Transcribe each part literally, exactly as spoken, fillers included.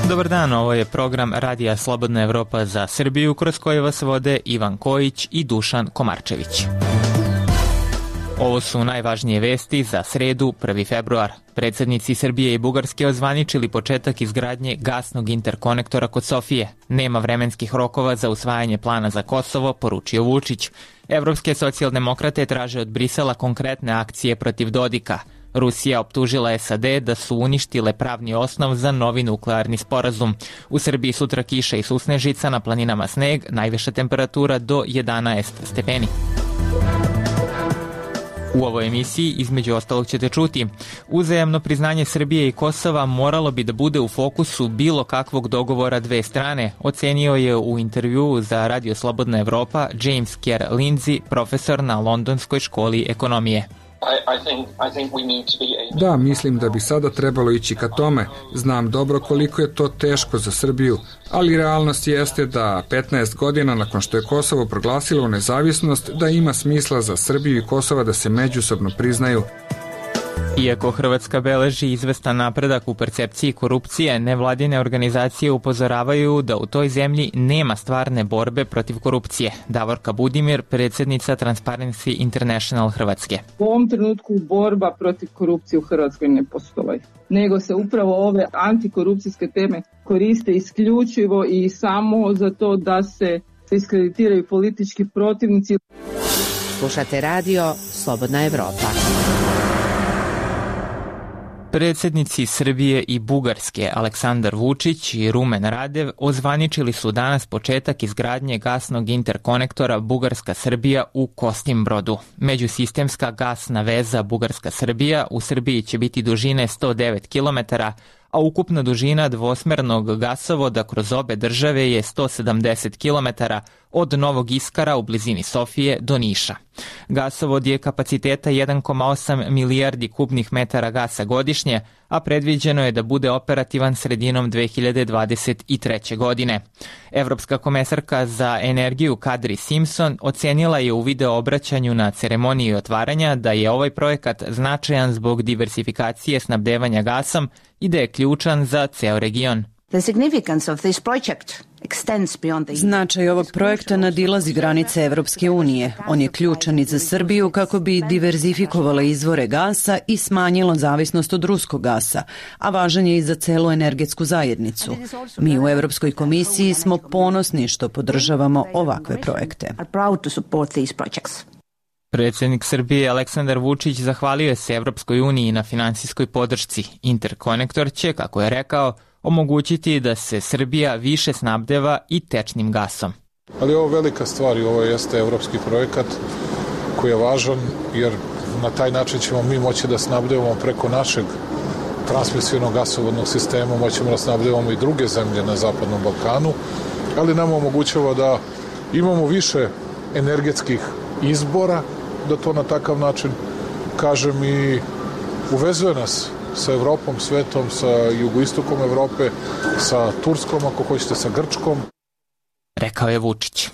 Dobar dan, ovo je program Radija Slobodna Evropa za Srbiju, kroz koji vas vode Ivan Kojić i Dušan Komarčević. Ovo su najvažnije vesti za sredu, prvi februar. Predsednici Srbije i Bugarske ozvaničili početak izgradnje gasnog interkonektora kod Sofije. Nema vremenskih rokova za usvajanje plana za Kosovo, poručio Vučić. Evropske socijaldemokrate traže od Brisela konkretne akcije protiv Dodika. Rusija optužila S A D da su uništile pravni osnov za novi nuklearni sporazum. U Srbiji sutra kiša i susnežica, na planinama sneg, najviša temperatura do jedanaest stepeni. U ovoj emisiji, između ostalog, ćete čuti: uzajamno priznanje Srbije i Kosova moralo bi da bude u fokusu bilo kakvog dogovora dve strane, ocenio je u intervjuu za Radio Slobodna Evropa James Kerr Lindsay, profesor na Londonskoj školi ekonomije. Da, mislim da bi sada trebalo ići ka tome. Znam dobro koliko je to teško za Srbiju, ali realnost jeste da petnaest godina nakon što je Kosovo proglasilo nezavisnost, da ima smisla za Srbiju i Kosova da se međusobno priznaju. Iako Hrvatska beleži izvestan napredak u percepciji korupcije, nevladine organizacije upozoravaju da u toj zemlji nema stvarne borbe protiv korupcije. Davorka Budimir, predsjednica Transparency International Hrvatske. U ovom trenutku borba protiv korupcije u Hrvatskoj ne postoji, nego se upravo ove antikorupcijske teme koriste isključivo i samo za to da se diskreditiraju politički protivnici. Slušate radio Slobodna Evropa. Predsednici Srbije i Bugarske Aleksandar Vučić i Rumen Radev ozvaničili su danas početak izgradnje gasnog interkonektora Bugarska-Srbija u Kostimbrodu. Međusistemska gasna veza Bugarska-Srbija u Srbiji će biti dužine sto devet kilometara, a ukupna dužina dvosmernog gasovoda kroz obe države je sto sedamdeset kilometara od Novog Iskara u blizini Sofije do Niša. Gasovod je kapaciteta jedan zarez osam milijardi kubnih metara gasa godišnje, a predviđeno je da bude operativan sredinom dve hiljade dvadeset treće. godine. Evropska komesarka za energiju Kadri Simpson ocenila je u video obraćanju na ceremoniji otvaranja da je ovaj projekat značajan zbog diversifikacije snabdevanja gasom i da je ključan za ceo region. Značaj ovog projekta nadilazi granice Evropske unije. On je ključan i za Srbiju kako bi diverzifikovala izvore gasa i smanjila zavisnost od ruskog gasa, a važan je i za celu energetsku zajednicu. Mi u Evropskoj komisiji smo ponosni što podržavamo ovakve projekte. Predsjednik Srbije Aleksandar Vučić zahvalio se Evropskoj uniji na finansijskoj podršci. Interkonektor će, kako je rekao, omogućiti da se Srbija više snabdeva i tečnim gasom. Ali ovo je velika stvar i ovo jeste evropski projekat koji je važan, jer na taj način ćemo mi moći da snabdevamo preko našeg transmisivnog gasovodnog sistema, moćemo da snabdevamo i druge zemlje na Zapadnom Balkanu, ali nam omogućava da imamo više energetskih izbora, da to na takav način kažem, i uvezuje nas sa Evropom, svetom, sa jugoistokom Evrope, sa Turskom, ako hoćete, sa Grčkom. Rekao je Vučić.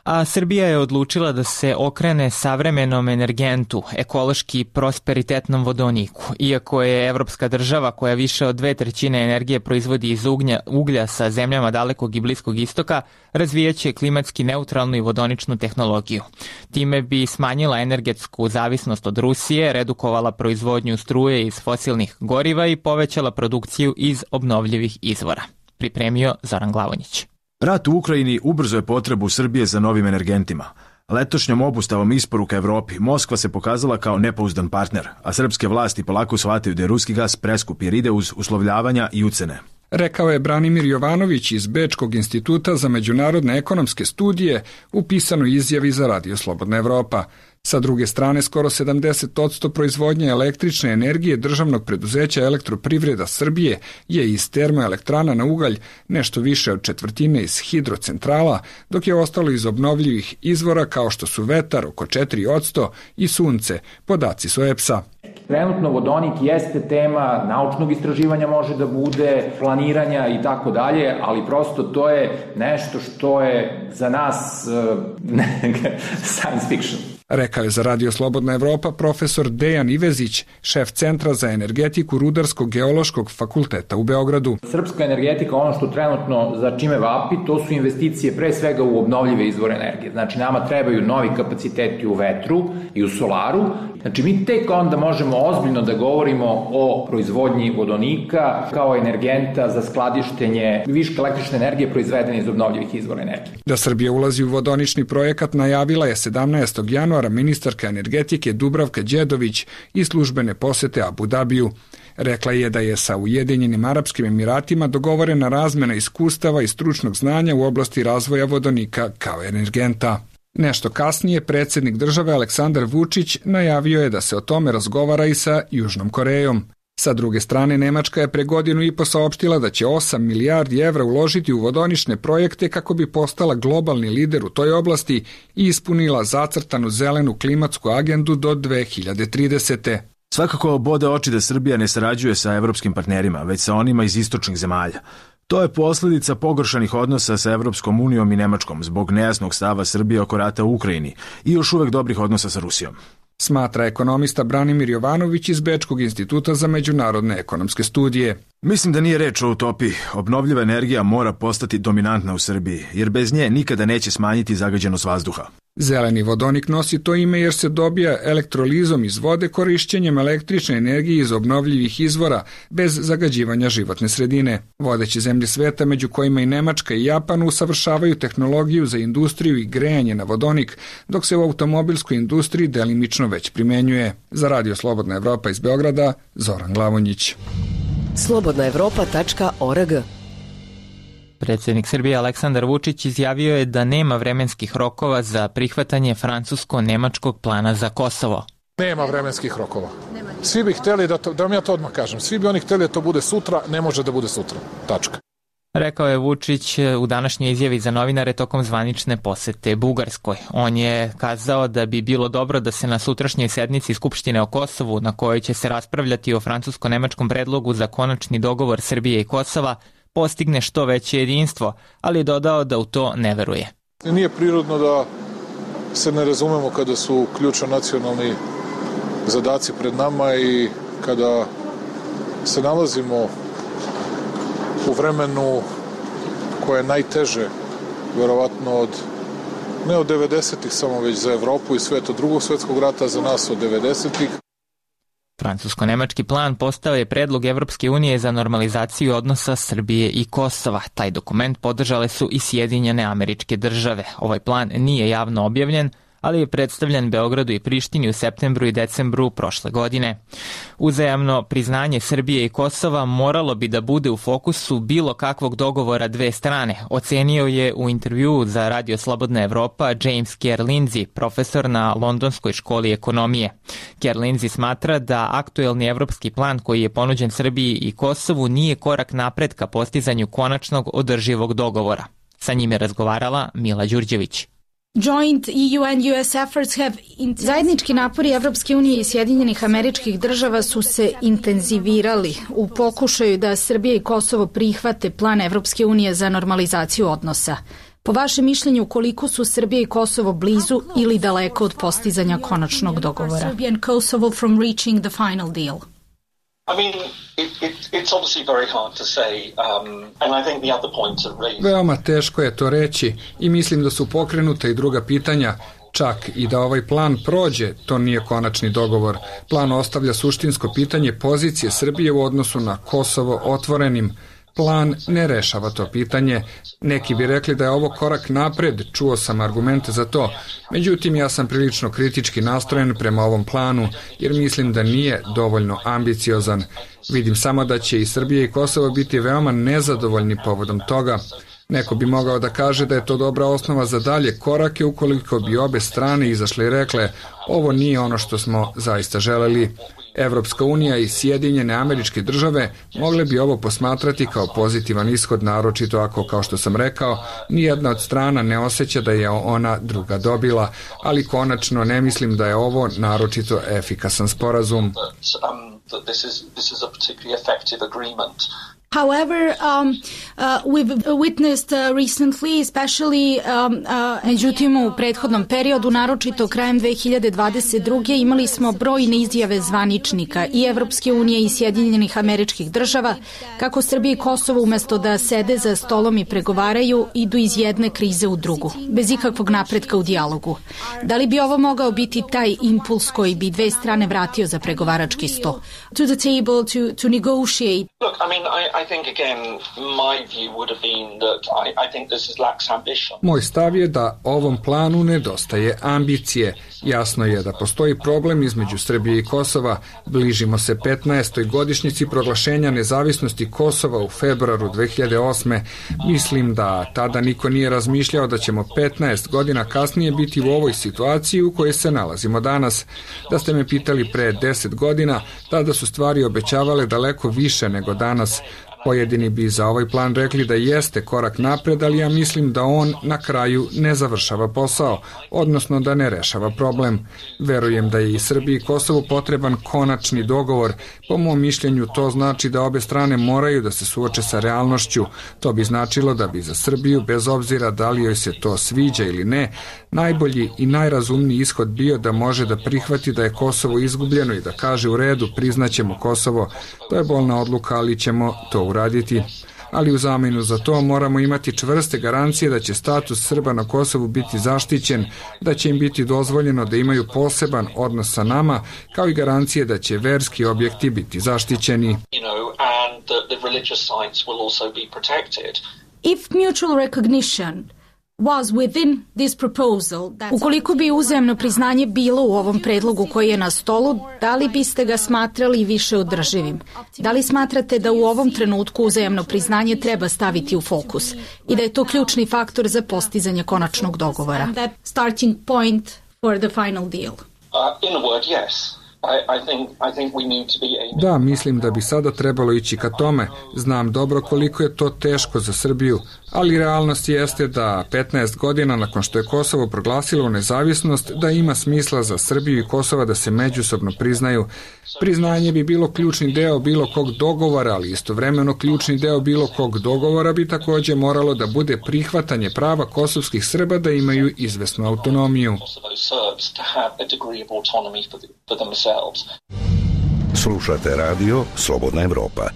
A Srbija je odlučila da se okrene savremenom energentu, ekološki prosperitetnom vodoniku. Iako je evropska država koja više od dve trećine energije proizvodi iz uglja, uglja sa zemljama dalekog i bliskog istoka, razvijaće klimatski neutralnu i vodoničnu tehnologiju. Time bi smanjila energetsku zavisnost od Rusije, redukovala proizvodnju struje iz fosilnih goriva i povećala produkciju iz obnovljivih izvora. Pripremio Zoran Glavonjić. Rat u Ukrajini ubrzo je potrebu Srbije za novim energentima. Letošnjom obustavom isporuka Evropi Moskva se pokazala kao nepouzdan partner, a srpske vlasti polako shvataju da je ruski gas preskup jer ide uz uslovljavanja i ucene. Rekao je Branimir Jovanović iz Bečkog instituta za međunarodne ekonomske studije u pisanoj izjavi za Radio Slobodna Evropa. Sa druge strane, skoro sedamdeset posto proizvodnje električne energije državnog preduzeća Elektroprivreda Srbije je iz termoelektrana na ugalj, nešto više od četvrtine iz hidrocentrala, dok je ostalo iz obnovljivih izvora kao što su vetar oko četiri posto i sunce, podaci su E P S-a. Trenutno vodonik jeste tema naučnog istraživanja, može da bude planiranja i tako dalje, ali prosto to je nešto što je za nas uh, science fiction. rekao je za Radio Slobodna Evropa profesor Dejan Ivezić, šef Centra za energetiku Rudarsko-geološkog fakulteta u Beogradu. Srpska energetika, ono što trenutno za čime vapi, to su investicije pre svega u obnovljive izvore energije. Znači, nama trebaju novi kapaciteti u vetru i u solaru. Znači, mi tek onda možemo ozbiljno da govorimo o proizvodnji vodonika kao energenta za skladištenje viška električne energije proizvedene iz obnovljivih izvora energije. Da Srbija ulazi u vodonični projekat najavila je sedamnaestog januara ministarka energetike Dubravka Đedović i službene posete Abu Dabiju. Rekla je da je sa Ujedinjenim Arapskim Emiratima dogovorena razmena iskustava i stručnog znanja u oblasti razvoja vodonika kao energenta. Nešto kasnije predsjednik države Aleksandar Vučić najavio je da se o tome razgovara i sa Južnom Korejom. Sa druge strane, Nemačka je pre godinu i po saopštila da će osam milijardi evra uložiti u vodonične projekte kako bi postala globalni lider u toj oblasti i ispunila zacrtanu zelenu klimatsku agendu do dve hiljade tridesete. Svakako bode oči da Srbija ne sarađuje sa evropskim partnerima, već sa onima iz istočnih zemalja. To je posljedica pogoršanih odnosa sa Evropskom unijom i Nemačkom zbog nejasnog stava Srbije oko rata u Ukrajini i još uvek dobrih odnosa sa Rusijom. Smatra ekonomista Branimir Jovanović iz Bečkog instituta za međunarodne ekonomske studije. Mislim da nije reč o utopiji. Obnovljiva energija mora postati dominantna u Srbiji, jer bez nje nikada neće smanjiti zagađenost vazduha. Zeleni vodonik nosi to ime jer se dobija elektrolizom iz vode korišćenjem električne energije iz obnovljivih izvora bez zagađivanja životne sredine. Vodeće zemlje sveta, među kojima i Nemačka i Japan, usavršavaju tehnologiju za industriju i grejanje na vodonik, dok se u automobilskoj industriji delimično već primenjuje. Za Radio Slobodna Evropa iz Beograda, Zoran Glavonjić. slobodna evropa tačka org. Predsjednik Srbije Aleksandar Vučić izjavio je da nema vremenskih rokova za prihvatanje francusko-nemačkog plana za Kosovo. Nema vremenskih rokova. Svi bi hteli, da, to, da vam ja to odmah kažem, svi bi oni hteli da to bude sutra, ne može da bude sutra. Tačka. Rekao je Vučić u današnjoj izjavi za novinare tokom zvanične posete Bugarskoj. On je kazao da bi bilo dobro da se na sutrašnjoj sednici Skupštine o Kosovu, na kojoj će se raspravljati o francusko-nemačkom predlogu za konačni dogovor Srbije i Kosova, postigne što veće jedinstvo, ali je dodao da u to ne veruje. Nije prirodno da se ne razumemo kada su ključno nacionalni zadaci pred nama i kada se nalazimo u vremenu koje je najteže, verovatno od, ne od devedesetih samo, već za Evropu i svet, od drugog svetskog rata, za nas od devedesetih. Francusko-nemački plan postao je predlog Evropske unije za normalizaciju odnosa Srbije i Kosova. Taj dokument podržale su i Sjedinjene Američke Države. Ovaj plan nije javno objavljen, ali je predstavljen Beogradu i Prištini u septembru i decembru prošle godine. Uzajamno priznanje Srbije i Kosova moralo bi da bude u fokusu bilo kakvog dogovora dve strane, ocenio je u intervjuu za Radio Slobodna Evropa James Kerr Lindsay, profesor na Londonskoj školi ekonomije. Kerr Lindsay smatra da aktuelni evropski plan koji je ponuđen Srbiji i Kosovu nije korak napred ka postizanju konačnog održivog dogovora. Sa njim je razgovarala Mila Đurđević. Zajednički napori Evropske unije i Sjedinjenih Američkih Država su se intenzivirali u pokušaju da Srbija i Kosovo prihvate plan Evropske unije za normalizaciju odnosa. Po vašem mišljenju, koliko su Srbija i Kosovo blizu ili daleko od postizanja konačnog dogovora? Veoma teško je to reći i mislim da su pokrenuta i druga pitanja. Čak i da ovaj plan prođe, to nije konačni dogovor. Plan ostavlja suštinsko pitanje pozicije Srbije u odnosu na Kosovo otvorenim. Plan ne rešava to pitanje. Neki bi rekli da je ovo korak napred, čuo sam argumente za to. Međutim, ja sam prilično kritički nastrojen prema ovom planu, jer mislim da nije dovoljno ambiciozan. Vidim samo da će i Srbija i Kosovo biti veoma nezadovoljni povodom toga. Neko bi mogao da kaže da je to dobra osnova za dalje korake ukoliko bi obe strane izašle i rekle ovo nije ono što smo zaista želeli. Evropska unija i Sjedinjene Američke Države mogle bi ovo posmatrati kao pozitivan ishod, naročito ako, kao što sam rekao, nijedna od strana ne osjeća da je ona druga dobila, ali konačno ne mislim da je ovo naročito efikasan sporazum. However, um, uh, we've witnessed uh, recently, especially um, uh, međutim u prethodnom periodu, naročito krajem dve hiljade dvadeset druge imali smo brojne izjave zvaničnika i Evropske unije i Sjedinjenih Američkih Država kako Srbija i Kosovo umesto da sede za stolom i pregovaraju idu iz jedne krize u drugu, bez ikakvog napretka u dijalogu. Da li bi ovo mogao biti taj impuls koji bi dve strane vratio za pregovarački sto? To the table to, to negotiate. Look, I mean, I, I think again, my view would have been that I, I think this is lacks ambition. Moj stav je da ovom planu nedostaje ambicije. Jasno je da postoji problem između Srbije i Kosova. Bližimo se petnaestoj godišnjici proglašenja nezavisnosti Kosova u februaru dve hiljade osme. Mislim da tada niko nije razmišljao da ćemo petnaest godina kasnije biti u ovoj situaciji u kojoj se nalazimo danas. Da ste me pitali pre deset godina, tada su stvari obećavale daleko više nego danas. Pojedini bi za ovaj plan rekli da jeste korak napred, ali ja mislim da on na kraju ne završava posao, odnosno da ne rešava problem. Verujem da je i Srbiji i Kosovu potreban konačni dogovor. Po mom mišljenju to znači da obe strane moraju da se suoče sa realnošću. To bi značilo da bi za Srbiju, bez obzira da li joj se to sviđa ili ne, najbolji i najrazumniji ishod bio da može da prihvati da je Kosovo izgubljeno i da kaže u redu, priznaćemo Kosovo. To je bolna odluka, ali ćemo to uraditi. Ali u zamenu za to moramo imati čvrste garancije da će status Srba na Kosovu biti zaštićen, da će im biti dozvoljeno da imaju poseban odnos sa nama, kao i garancije da će verski objekti biti zaštićeni. If mutual recognition was within this proposal, ukoliko bi uzajamno priznanje bilo u ovom predlogu koji je na stolu, da li biste ga smatrali više održivim? Da li smatrate da u ovom trenutku uzajamno priznanje treba staviti u fokus i da je to ključni faktor za postizanje konačnog dogovora? Starting point for the final deal. Uh, in a word, yes. Da, mislim da bi sada trebalo ići ka tome. Znam dobro koliko je to teško za Srbiju, ali realnost jeste da petnaest godina nakon što je Kosovo proglasilo nezavisnost, da ima smisla za Srbiju i Kosova da se međusobno priznaju. Priznanje bi bilo ključni deo bilo kog dogovora, ali istovremeno ključni deo bilo kog dogovora bi takođe moralo da bude prihvatanje prava kosovskih Srba da imaju izvesnu autonomiju. Slušate radio Slobodna Evropa.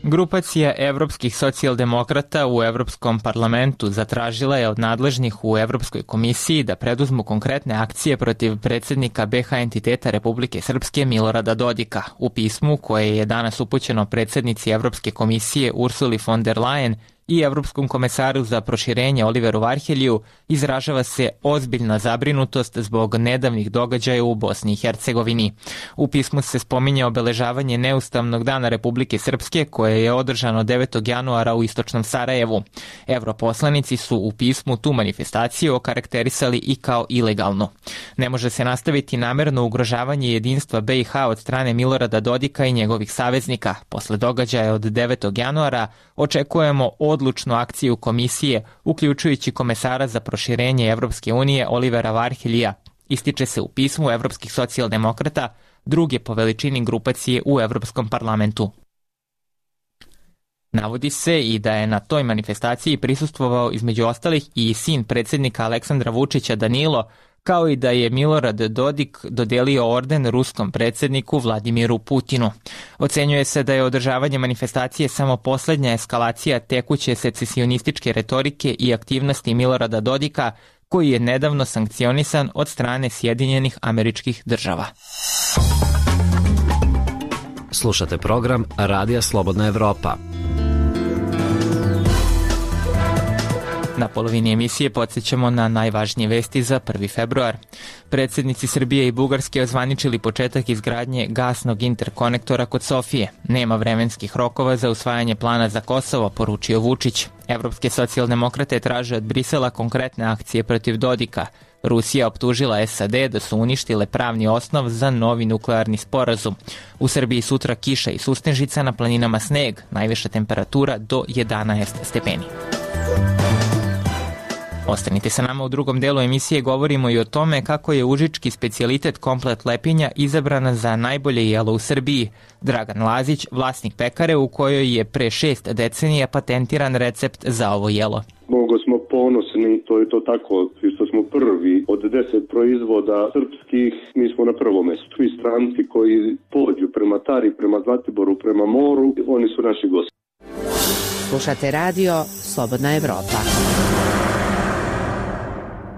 Grupacija evropskih socijaldemokrata u Evropskom parlamentu zatražila je od nadležnih u Evropskoj komisiji da preduzmu konkretne akcije protiv predsjednika be ha entiteta Republike Srpske Milorada Dodika. U pismu koje je danas upućeno predsjednici Evropske komisije Ursuli von der Leyen i Evropskom komesaru za proširenje Oliveru Varheljiju izražava se ozbiljna zabrinutost zbog nedavnih događaja u Bosni i Hercegovini. U pismu se spominje obeležavanje neustavnog dana Republike Srpske koje je održano devetog januara u istočnom Sarajevu. Evroposlanici su u pismu tu manifestaciju okarakterisali i kao ilegalnu. Ne može se nastaviti namerno ugrožavanje jedinstva be i ha od strane Milorada Dodika i njegovih saveznika. Posle događaja od devetog januara očekujemo odlučnu akciju komisije, uključujući komesara za proširenje Evropske unije Olivera Varheljija, ističe se u pismu evropskih socijaldemokrata, druge po veličini grupacije u Evropskom parlamentu. Navodi se i da je na toj manifestaciji prisustvovao između ostalih i sin predsjednika Aleksandra Vučića Danilo, kao i da je Milorad Dodik dodelio orden ruskom predsjedniku Vladimiru Putinu. Ocenjuje se da je održavanje manifestacije samo poslednja eskalacija tekuće secesionističke retorike i aktivnosti Milorada Dodika, koji je nedavno sankcionisan od strane Sjedinjenih Američkih Država. Slušate program Radija Slobodna Evropa. Na polovini emisije podsjećamo na najvažnije vesti za prvi februar. Predsjednici Srbije i Bugarske ozvaničili početak izgradnje gasnog interkonektora kod Sofije. Nema vremenskih rokova za usvajanje plana za Kosovo, poručio Vučić. Evropske socijaldemokrate traže od Brisela konkretne akcije protiv Dodika. Rusija optužila es a de da su uništile pravni osnov za novi nuklearni sporazum. U Srbiji sutra kiša i susnežica, na planinama sneg, najviša temperatura do jedanaest stepeni. Ostanite sa nama u drugom delu emisije, govorimo i o tome kako je užički specijalitet komplet lepinja izabrana za najbolje jelo u Srbiji. Dragan Lazić, vlasnik pekare u kojoj je pre šest decenija patentiran recept za ovo jelo. Mnogo smo ponosni, to je to tako, što smo prvi od deset proizvoda srpskih, mi smo na prvom mestu. Svi stranci koji pođu prema Tari, prema Zlatiboru, prema moru, oni su naši gosti. Slušate radio Slobodna Evropa.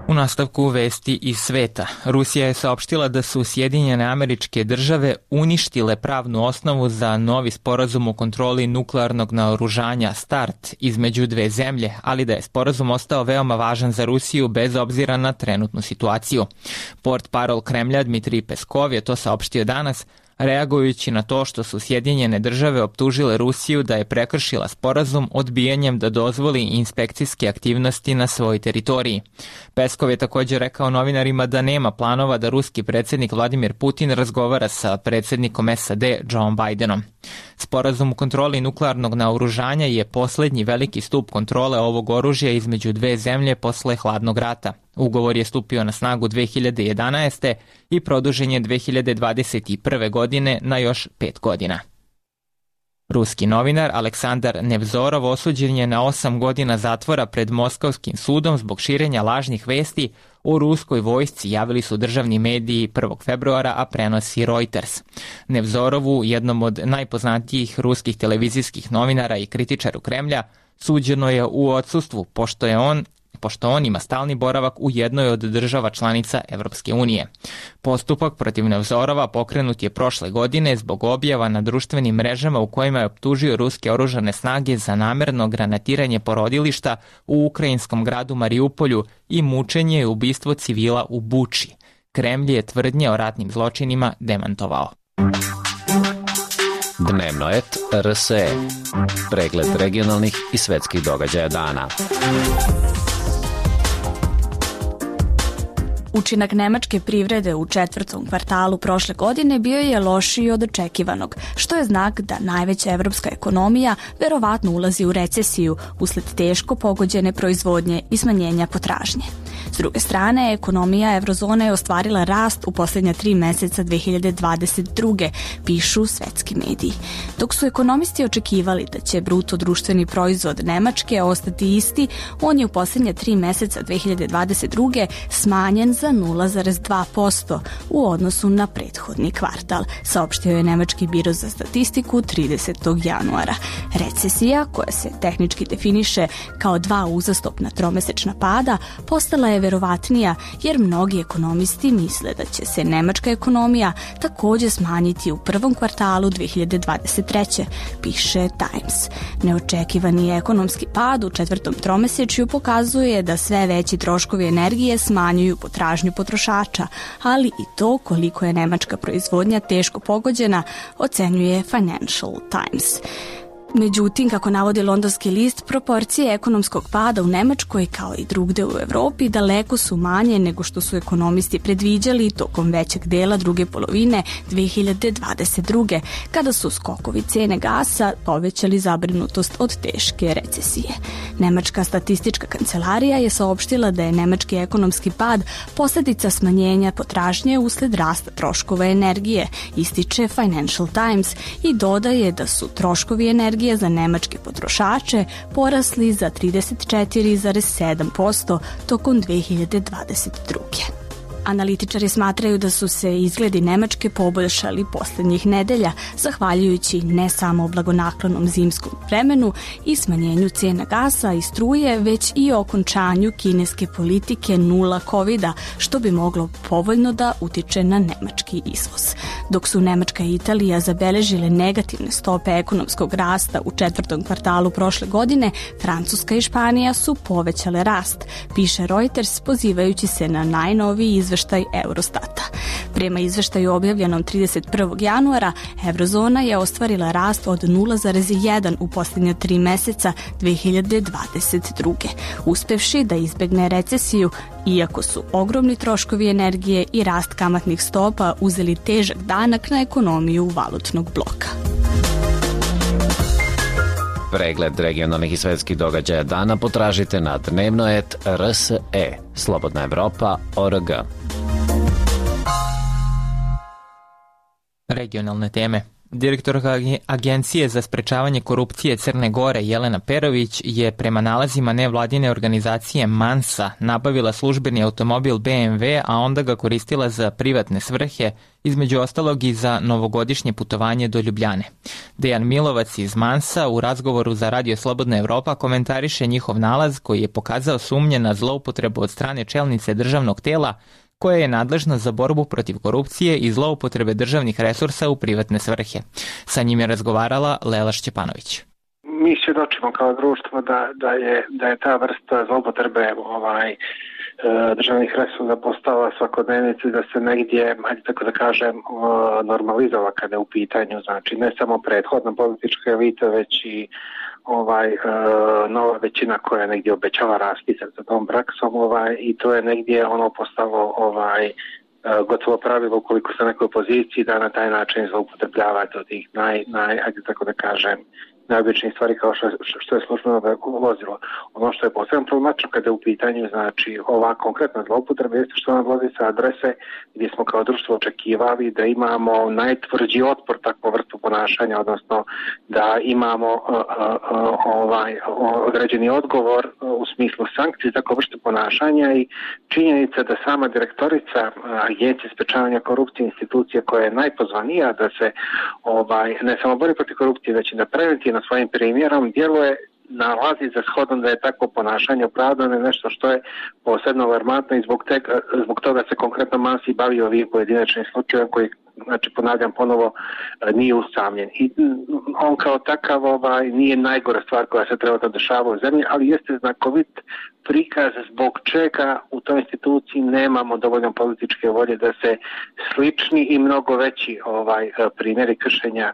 U nastavku vesti iz sveta, Rusija je saopštila da su Sjedinjene Američke Države uništile pravnu osnovu za novi sporazum o kontroli nuklearnog naoružanja START između dve zemlje, ali da je sporazum ostao veoma važan za Rusiju bez obzira na trenutnu situaciju. Portparol Kremlja Dmitrij Peskov je to saopštio danas, reagujući na to što su Sjedinjene Države optužile Rusiju da je prekršila sporazum odbijanjem da dozvoli inspekcijske aktivnosti na svojoj teritoriji. Peskov je također rekao novinarima da nema planova da ruski predsjednik Vladimir Putin razgovara sa predsjednikom S A D Joe Bidenom. Sporazum o kontroli nuklearnog naoružanja je posljednji veliki stup kontrole ovog oružja između dve zemlje posle hladnog rata. Ugovor je stupio na snagu dve hiljade jedanaeste. i produžen je dve hiljade dvadeset prve. godine na još pet godina. Ruski novinar Aleksandar Nevzorov osuđen je na osam godina zatvora pred Moskovskim sudom zbog širenja lažnih vesti o ruskoj vojsci, javili su državni mediji prvog februara, a prenosi Reuters. Nevzorovu, jednom od najpoznatijih ruskih televizijskih novinara i kritičaru Kremlja, suđeno je u odsustvu, pošto je on pošto on ima stalni boravak u jednoj od država članica Evropske unije. Postupak protiv Nevzorova pokrenut je prošle godine zbog objava na društvenim mrežama u kojima je optužio ruske oružane snage za namerno granatiranje porodilišta u ukrajinskom gradu Mariupolju i mučenje i ubistvo civila u Buči. Kremlj je tvrdnje o ratnim zločinima demantovao. Dnevno et R S E. Pregled regionalnih i svetskih događaja dana. Učinak nemačke privrede u četvrtom kvartalu prošle godine bio je lošiji od očekivanog, što je znak da najveća evropska ekonomija verovatno ulazi u recesiju usled teško pogođene proizvodnje i smanjenja potražnje. S druge strane, ekonomija eurozone je ostvarila rast u posljednja tri meseca dve hiljade dvadeset druge. pišu svetski mediji. Dok su ekonomisti očekivali da će bruto društveni proizvod Nemačke ostati isti, on je u posljednja tri meseca dve hiljade dvadeset druge smanjen za nula zarez dva posto u odnosu na prethodni kvartal, saopštio je Nemački biro za statistiku tridesetog januara. Recesija, koja se tehnički definiše kao dva uzastopna tromesečna pada, postala je verovatnija jer mnogi ekonomisti misle da će se nemačka ekonomija također smanjiti u prvom kvartalu dve hiljade dvadeset treće. piše Times. Neočekivani ekonomski pad u četvrtom tromesečju pokazuje da sve veći troškovi energije smanjuju potražnju potrošača, ali i to koliko je nemačka proizvodnja teško pogođena, ocenjuje Financial Times. Međutim, kako navodi londonski list, proporcije ekonomskog pada u Nemačkoj kao i drugde u Evropi daleko su manje nego što su ekonomisti predviđali tokom većeg dela druge polovine dve hiljade dvadeset druge. kada su skokovi cene gasa povećali zabrinutost od teške recesije. Nemačka statistička kancelarija je saopštila da je nemački ekonomski pad posljedica smanjenja potražnje usled rasta troškova energije, ističe Financial Times i dodaje da su troškovi energije za nemačke potrošače porasli za trideset četiri zarez sedam posto tokom dve hiljade dvadeset druge. Analitičari smatraju da su se izgledi Nemačke poboljšali posljednjih nedelja, zahvaljujući ne samo blagonaklonom zimskom vremenu i smanjenju cijena gasa i struje, već i okončanju kineske politike nula kovida, što bi moglo povoljno da utiče na nemački izvoz. Dok su Nemačka i Italija zabeležile negativne stope ekonomskog rasta u četvrtom kvartalu prošle godine, Francuska i Španija su povećale rast, piše Reuters pozivajući se na najnoviji izveštaj Eurostata. Prema izveštaju objavljenom trideset prvog januara, Eurozona je ostvarila rast od nula zarez jedan u posljednja tri meseca dve hiljade dvadeset druge. uspevši da izbegne recesiju, iako su ogromni troškovi energije i rast kamatnih stopa uzeli težak danak na ekonomiju valutnog bloka. Pregled regionalnih i svetskih događaja dana potražite na dnevnoet R S E, Slobodna Evropa, O R G. Regionalne teme. Direktorka Agencije za sprečavanje korupcije Crne Gore Jelena Perović je prema nalazima nevladine organizacije Mansa nabavila službeni automobil B M W, a onda ga koristila za privatne svrhe, između ostalog i za novogodišnje putovanje do Ljubljane. Dejan Milovac iz Mansa u razgovoru za Radio Slobodna Evropa komentariše njihov nalaz koji je pokazao sumnje na zloupotrebu od strane čelnice državnog tela koja je nadležna za borbu protiv korupcije i zloupotrebe državnih resursa u privatne svrhe. Sa njim je razgovarala Lela Šćepanović. Mi svjedočimo kao društvo da, da, je, da je ta vrsta zloupotrebe ovaj, državnih resursa postala svakodnevnica, da se negdje, hajde tako da kažem, normalizova kada je u pitanju, znači ne samo prethodna politička elita, već i ovaj, e, nova većina koja negdje obećava raspisak za tom praksom, ovaj, i to je negdje ono postalo ovaj, e, gotovo pravilo ukoliko ste na nekoj poziciji da na taj način zloupotrebljavate od tih naj, naj, hajde tako da kažem, najobičnijih stvari kao što, što je službeno vozilo. Ono što je posebno problematično kada je u pitanju, znači ova konkretna zloupotreba jeste što nam dolazi sa adrese gdje smo kao društvo očekivali da imamo najtvrđi otpor takvu vrstu ponašanja, odnosno da imamo uh, uh, ovaj određeni odgovor uh, u smislu sankcije za takvu vrstu ponašanja i činjenica da sama direktorica uh, Agencije sprečavanja korupcije, institucije koja je najpozvanija da se ovaj ne samo bori protiv korupcije, već i da preventivno svojim primjerom djeluje, nalazi za shodom da je takvo ponašanje opravdano je nešto što je posebno alarmantno i zbog, te, zbog toga se konkretno Mansi bavi ovim pojedinačnim slučajem koji, znači ponavljam ponovo, nije usamljen. I on kao takav ovaj, nije najgora stvar koja se treba da dešava u zemlji, ali jeste znakovit prikaz zbog čega u toj instituciji nemamo dovoljno političke volje da se slični i mnogo veći ovaj primjeri kršenja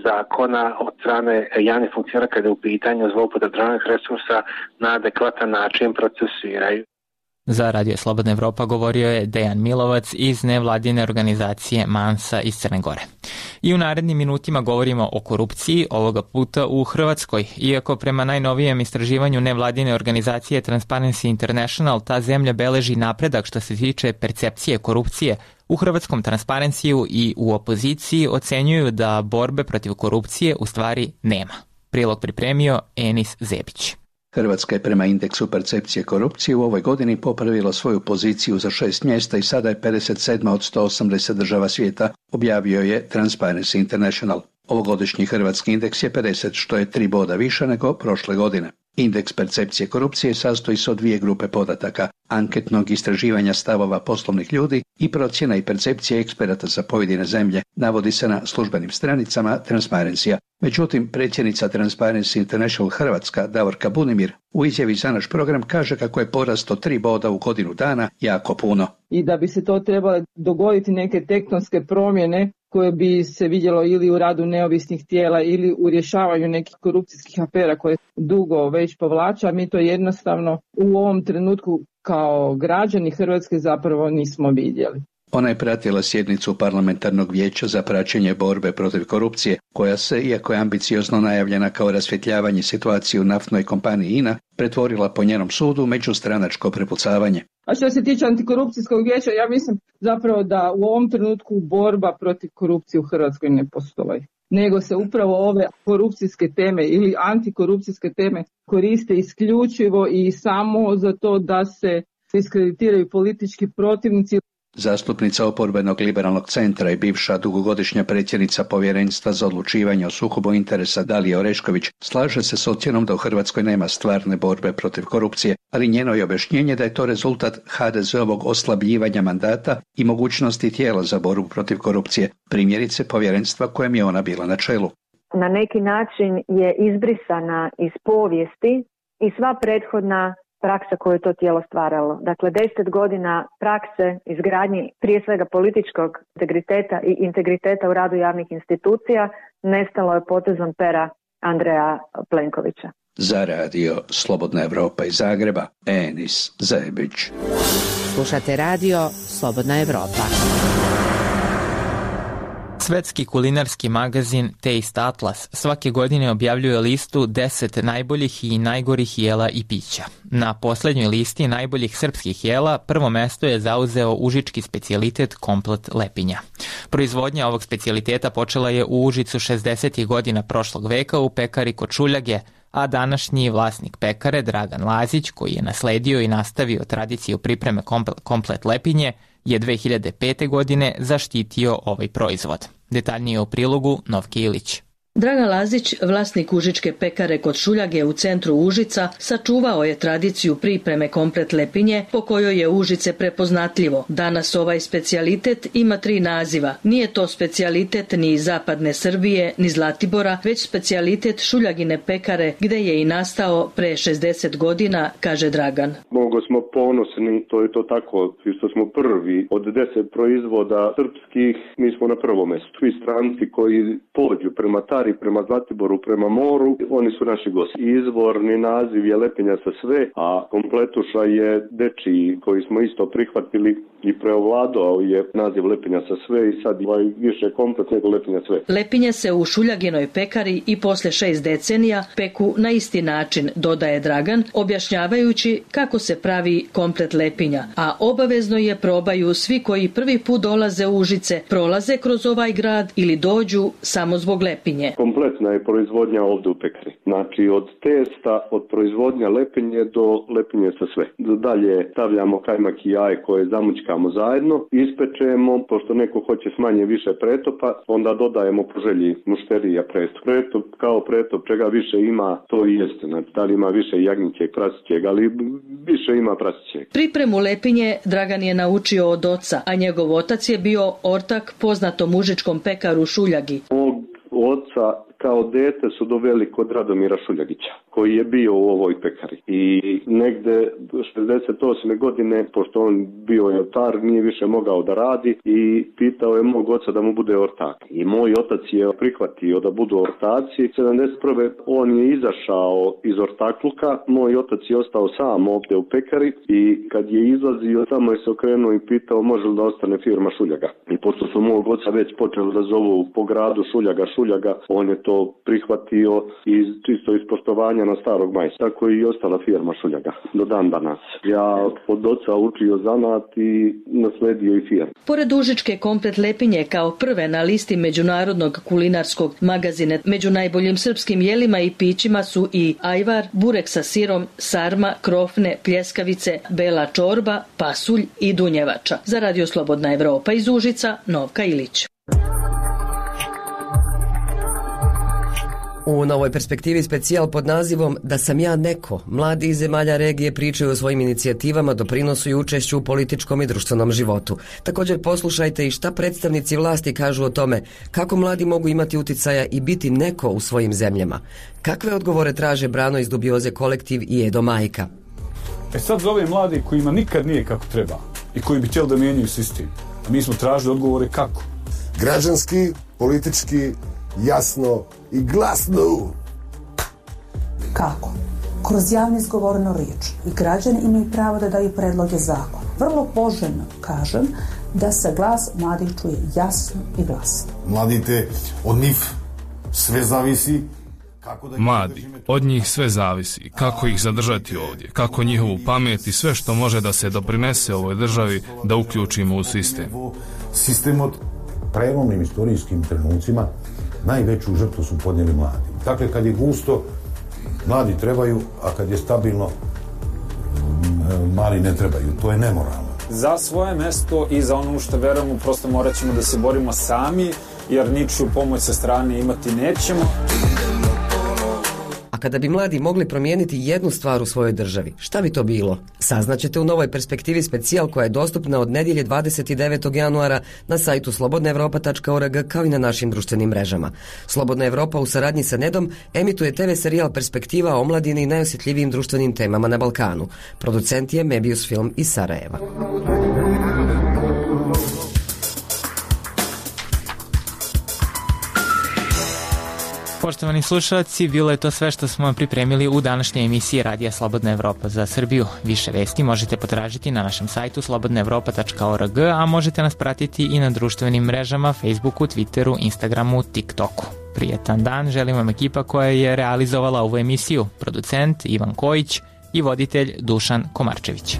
zakona od strane javnih funkcionera kada je u pitanju zloupotrebe državnih resursa na adekvatan način procesuiraju. Za Radio Slobodna Evropa govorio je Dejan Milovac iz nevladine organizacije Mansa iz Crne Gore. I u narednim minutima govorimo o korupciji, ovoga puta u Hrvatskoj. Iako prema najnovijem istraživanju nevladine organizacije Transparency International ta zemlja beleži napredak što se tiče percepcije korupcije, u hrvatskom Transparencyu i u opoziciji ocenjuju da borbe protiv korupcije u stvari nema. Prilog pripremio Enis Zebić. Hrvatska je prema indeksu percepcije korupcije u ovoj godini popravila svoju poziciju za šest mjesta i sada je pedeset sedma od sto osamdeset država svijeta, objavio je Transparency International. Ovogodišnji hrvatski indeks je pedeset, što je tri boda više nego prošle godine. Indeks percepcije korupcije sastoji se od dvije grupe podataka, anketnog istraživanja stavova poslovnih ljudi i procjena i percepcije eksperata za pojedine zemlje, navodi se na službenim stranicama Transparency-a. Međutim, predsjednica Transparency International Hrvatska, Davorka Bunimir, u izjavi za naš program kaže kako je porast od tri boda u godinu dana jako puno. I da bi se to trebale dogoditi neke tektonske promjene koje bi se vidjelo ili u radu neovisnih tijela ili u rješavanju nekih korupcijskih afera koje dugo već povlača, mi to jednostavno u ovom trenutku kao građani Hrvatske zapravo nismo vidjeli. Ona je pratila sjednicu parlamentarnog vijeća za praćenje borbe protiv korupcije, koja se, iako je ambiciozno najavljena kao rasvjetljavanje situacije u naftnoj kompaniji I N A, pretvorila po njenom sudu međustranačko prepucavanje. A što se tiče antikorupcijskog vijeća, ja mislim zapravo da u ovom trenutku borba protiv korupcije u Hrvatskoj ne postoji. Nego se upravo ove korupcijske teme ili antikorupcijske teme koriste isključivo i samo za to da se diskreditiraju politički protivnici. Zastupnica oporbenog liberalnog centra i bivša dugogodišnja predsjednica Povjerenstva za odlučivanje o sukobu interesa Dalija Orešković slaže se s ocjenom da u Hrvatskoj nema stvarne borbe protiv korupcije, ali njeno je objašnjenje da je to rezultat ha de zeovog oslabljivanja mandata i mogućnosti tijela za borbu protiv korupcije, primjerice povjerenstva kojem je ona bila na čelu. Na neki način je izbrisana iz povijesti i sva prethodna praksa koju je to tijelo stvaralo. Dakle, deset godina prakse izgradnji prije svega političkog integriteta i integriteta u radu javnih institucija nestalo je potezom pera Andreja Plenkovića. Za Radio Slobodna Evropa iz Zagreba, Enis Zebić. Slušate Radio Slobodna Evropa. Svetski kulinarski magazin Taste Atlas svake godine objavljuje listu deset najboljih i najgorih jela i pića. Na poslednjoj listi najboljih srpskih jela prvo mesto je zauzeo užički specijalitet komplet lepinja. Proizvodnja ovog specijaliteta počela je u Užicu šezdesetih godina prošlog veka u pekari kod Šuljage, a današnji vlasnik pekare, Dragan Lazić, koji je nasledio i nastavio tradiciju pripreme komplet lepinje, je dve hiljade pete. godine zaštitio ovaj proizvod. Detaljnije o prilogu Novke Ilić. Dragan Lazić, vlasnik užičke pekare kod Šuljage u centru Užica, sačuvao je tradiciju pripreme komplet lepinje po kojoj je Užice prepoznatljivo. Danas ovaj specijalitet ima tri naziva. Nije to specijalitet ni iz zapadne Srbije, ni Zlatibora, već specijalitet Šuljagine pekare gde je i nastao pre šezdeset godina, kaže Dragan. Mnogo smo ponosni, to je to tako, što smo prvi od deset proizvoda srpskih, mi smo na prvom mestu. Svi stranci koji pođu prema Tari, prema Zlatiboru, prema moru, oni su naši gosti. Izvorni naziv je lepinja sa sve, a kompletuša je dečiji koji smo isto prihvatili i preovladao je naziv lepinja sa sve i sad je više komplet nego lepinja sve. Lepinje se u Šuljaginoj pekari i posle šest decenija peku na isti način, dodaje Dragan, objašnjavajući kako se pravi komplet lepinja, a obavezno je probaju svi koji prvi put dolaze u Užice, prolaze kroz ovaj grad ili dođu samo zbog lepinje. Kompletna je proizvodnja ovde u pekari. Znači od testa, od proizvodnja lepinje do lepinje sa sve. Dalje stavljamo kajmak i jaje koje zamućkamo zajedno, ispečemo, pošto neko hoće s manje više pretopa, onda dodajemo po želji mušterija pretop. Pretop kao pretop, čega više ima, to i jeste. Znači, da li ima više jagnjećeg, prasićeg, ali više ima prasićeg. Pripremu lepinje Dragan je naučio od oca, a njegov otac je bio ortak poznatom užičkom pekaru Šuljagi. Oca kao dete su doveli kod Radomira Šuljagića, koji je bio u ovoj pekari. I negde šezdeset osme. godine, pošto on bio je ortar, nije više mogao da radi i pitao je mog oca da mu bude ortak. I moj otac je prihvatio da budu ortaci. sedamdeset prve. on je izašao iz ortakluka, moj otac je ostao sam ovde u pekari i kad je izlazio, tamo je se okrenuo i pitao može li da ostane firma Šuljaga. I pošto su mog oca već počeli da zovu po gradu Šuljaga, Šuljaga, on je to prihvatio iz čisto iz poštovanja na starog majstora. Tako i ostala firma Šuljaga do dan danas. Ja od oca učio zanat i nasledio i firmu. Pored užičke komplet lepinje kao prve na listi međunarodnog kulinarskog magazina među najboljim srpskim jelima i pićima su i ajvar, burek sa sirom, sarma, krofne, pljeskavice, bela čorba, pasulj i dunjevača. Za Radio Slobodna Evropa iz Užica, Novka Ilić. U novoj perspektivi specijal pod nazivom Da sam ja neko, mladi iz zemalja regije pričaju o svojim inicijativama, doprinosu i učešću u političkom i društvenom životu. Također poslušajte i šta predstavnici vlasti kažu o tome kako mladi mogu imati uticaja i biti neko u svojim zemljama. Kakve odgovore traže Brano iz Dubioze kolektiv i Edo Majka. E sad za ove mladi kojima nikad nije kako treba i koji bi htjeli da mijenjaju sistem, a mi smo tražili odgovore kako. Građanski, politički, jasno i glasno. Kako? Kroz javno izgovorenu riječ i građani imaju pravo da daju predloge zakona. Vrlo poželjno kažem da se glas mladih čuje jasno i glasno. Mladite, od njih sve zavisi. Mladi, od njih sve zavisi, kako ih zadržati ovdje, kako njihovu pamet i sve što može da se doprinese ovoj državi da uključimo u sistem. Sistem od prelomnim istorijskim trenucima najveću žrtvu su podnijeli mladi. Dakle, kad je gusto, mladi trebaju, a kad je stabilno, mali ne trebaju. To je nemoralno. Za svoje mesto i za ono što verujemo, prosto morat ćemo da se borimo sami, jer ničiju pomoć sa strane imati nećemo. A kada bi mladi mogli promijeniti jednu stvar u svojoj državi, šta bi to bilo? Saznaćete u novoj perspektivi specijal koja je dostupna od nedjelje dvadeset devetog januara na sajtu slobodna evropa tačka org kao i na našim društvenim mrežama. Slobodna Evropa u saradnji sa Nedom emituje te ve serijal Perspektiva o omladini i najosjetljivijim društvenim temama na Balkanu. Producent je Mebius Film iz Sarajeva. Poštovani slušalci, bilo je to sve što smo vam pripremili u današnjoj emisiji Radija Slobodna Evropa za Srbiju. Više vesti možete potražiti na našem sajtu slobodna evropa tačka org, a možete nas pratiti i na društvenim mrežama Facebooku, Twitteru, Instagramu, TikToku. Prijetan dan želim vam ekipa koja je realizovala ovu emisiju, producent Ivan Kojić i voditelj Dušan Komarčević.